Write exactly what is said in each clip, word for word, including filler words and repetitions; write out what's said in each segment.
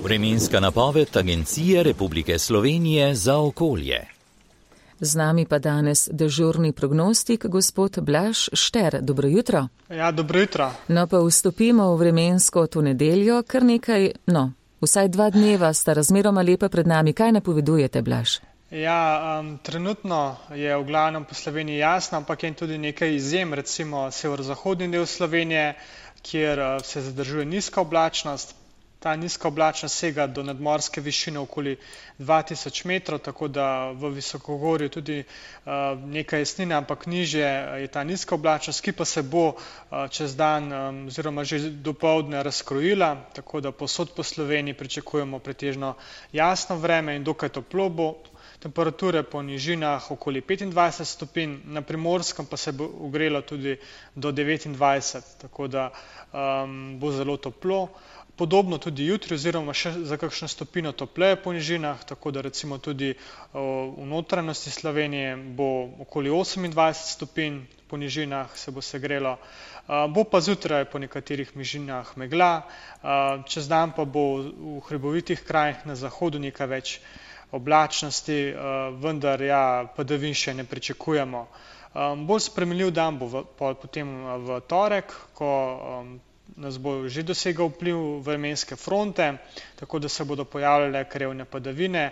Vremenska napoved Agencije Republike Slovenije za okolje. Z nami pa danes dežurni prognostik, gospod Blaž Šter. Dobro jutro. Ja, dobro jutro. No, pa vstopimo v vremensko to nedeljo, kar nekaj, no, vsaj dva dneva sta razmeroma lepa pred nami. Kaj napovedujete, Blaž? Ja, um, trenutno je v glavnem po Sloveniji jasno, ampak je tudi nekaj izjem, recimo severozahodni del Slovenije, kjer uh, se zadržuje nizka oblačnost. Ta nizka oblačnost sega do nadmorske višine okoli dva tisoč metrov, tako da v visokogorju tudi uh, nekaj jesnine, ampak nižje je ta nizka oblačnost, ki pa se bo uh, čez dan um, oziroma že dopoldne razkrojila, tako da povsod po Sloveniji pričakujemo pretežno jasno vreme in dokaj toplo bo. Temperature po nižinah okoli petindvajset stopinj, na Primorskem pa se bo ogrelo tudi do devetindvajset, tako da um, bo zelo toplo. Podobno tudi jutri oziroma še za kakšno stopino topleje po nižinah, tako da recimo tudi o, v notranjosti Slovenije bo okoli osemindvajset stopinj, po nižinah se bo segrelo. Uh, bo pa zjutraj po nekaterih nižinah megla, uh, čez dan pa bo v hribovitih krajih na zahodu nekaj več oblačnosti, uh, vendar ja, padavin še ne pričakujemo. Um, bolj spremenljiv dan bo v, po, potem v torek, ko um, nas bo že dosegal vpliv vremenske fronte, tako da se bodo pojavljale krevne padavine,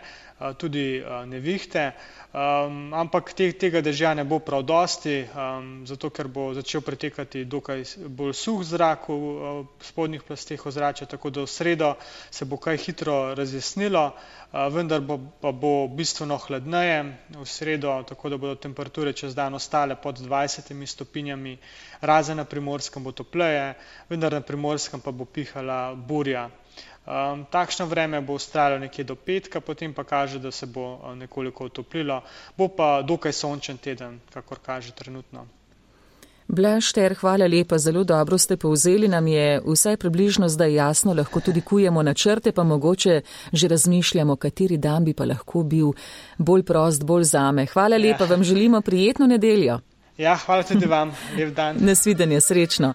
tudi nevihte, um, ampak te, tega dežja ne bo prav dosti, um, zato ker bo začel pretekati dokaj bolj suh zrak v, v spodnjih plasteh ozračja, tako da v sredo se bo kaj hitro razjasnilo, uh, vendar bo, pa bo bistveno hladneje v sredo, tako da bodo temperature čez dan ostale pod dvajsetimi stopinjami, razen na Primorskem bo topleje, vendar na Primorskem pa bo pihala burja. Um, takšno vreme bo vztrajalo nekje do petka, potem pa kaže, da se bo nekoliko otoplilo. Bo pa dokaj sončen teden, kakor kaže trenutno. Blaž Šter, hvala lepa, zelo dobro ste povzeli, nam je vsaj približno zdaj jasno, lahko tudi kujemo načrte, pa mogoče že razmišljamo, kateri dan bi pa lahko bil bolj prost, bolj zame. Hvala lepa, ja. Vam želimo prijetno nedeljo. Ja, hvala tudi vam, lep dan. Nasvidenje, srečno.